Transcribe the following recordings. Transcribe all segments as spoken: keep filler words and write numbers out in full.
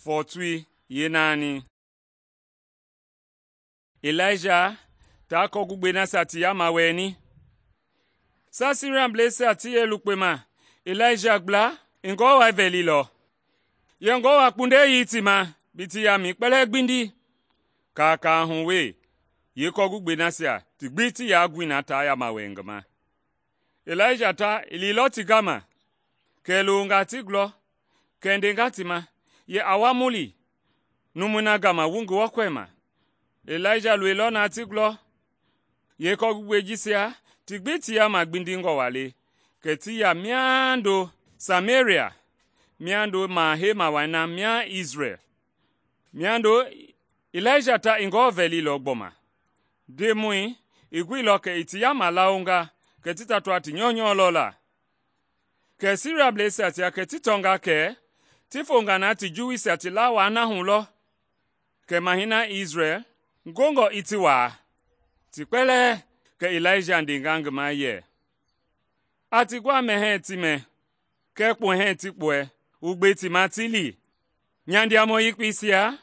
Fɔɔtui yeenaani. Ilaija taa kɔgugbei nasia ti yaama wɛɛni. Saa Siriablɛisia ti yee lukpema Ilaija gbla i Ngewɔ wai vɛlilɔ. Yɛ Ngewɔ a kpundɛi ti ma bi ti yaamɛi kpɛlɛɛ gbindi. Kaakaa hu wee, yeekɔgugbei nasia ti gbi ti yaa gui na taa yaama wɛɛ ngi ma. Ilaija ta i liilɔ ti gama, kɛ i longa ti gulɔ, kɛ i ndenga ti ma yɛ a wa mu li numui na gama wu Ngewɔ kɔɛma. Ilaija loilɔ na ti gulɔ. Yeekɔgugbei jisia ti gbi ti yaama gbindingɔ waa le, kɛ ti ya miando Sameria, miando Maha-Hema wai na mia Isrɛl. Miando Ilaija ta i Ngewɔ vɛlilɔ gbɔma. Ndemɔi i guilɔ kɛ i ti yaama lawonga kɛ ti tatua ti nyɔunyɔ lɔ la. Kɛ Siriablɛisia tia kɛ ti tɔnga kɛ ti fonga na ti Juwuisia ti lawaa na hu lɔ. Kɛ Mahɛi na Isrɛl gongɔ i ti waa. Ti kpɛlɛɛ kɛ Ilaija ndenga ngi ma yɛ, a ti gwa mɛhɛɛ ti mɛ, kɛɛ kpuhɛɛ ti kpuɛ, wu gbe ti ma ti li. Nyandiamɔ yekpeisia,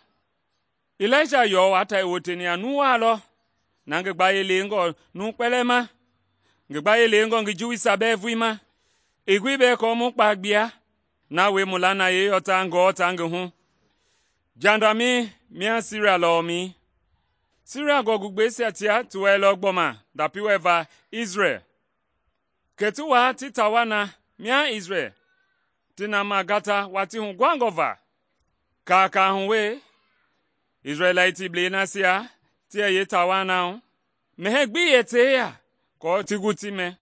Ilaija yɔɔ waa ta i woteni a nuwaa lɔ, na ngi gbayei leengɔ numu kpɛlɛɛ ma, ngi gbayei leengɔ ngi Juwuisia bɛɛ vulii ma. I gbi bɛɛ kɔɔ mu kpa gbia, na wie mu lanayei yɔ ta Ngewɔ ta ngi hu. Jandamɛi mia Siria lɔmɛi. Siria gɔgugbeisia tia ti wɛilɔ gbɔma ndapi wɛ va Isrɛl. Kɛ ti waa ti tawa na mia Isrɛl, ti na ma gata watii huguhangɔ va. Kaakaa hu wee, Isrɛlɛitiblɛi nasia ti yɛ yeetawa na hu, mɛhɛɛ gbi yɛ teeya kɔɔ ti gu ti mɛ.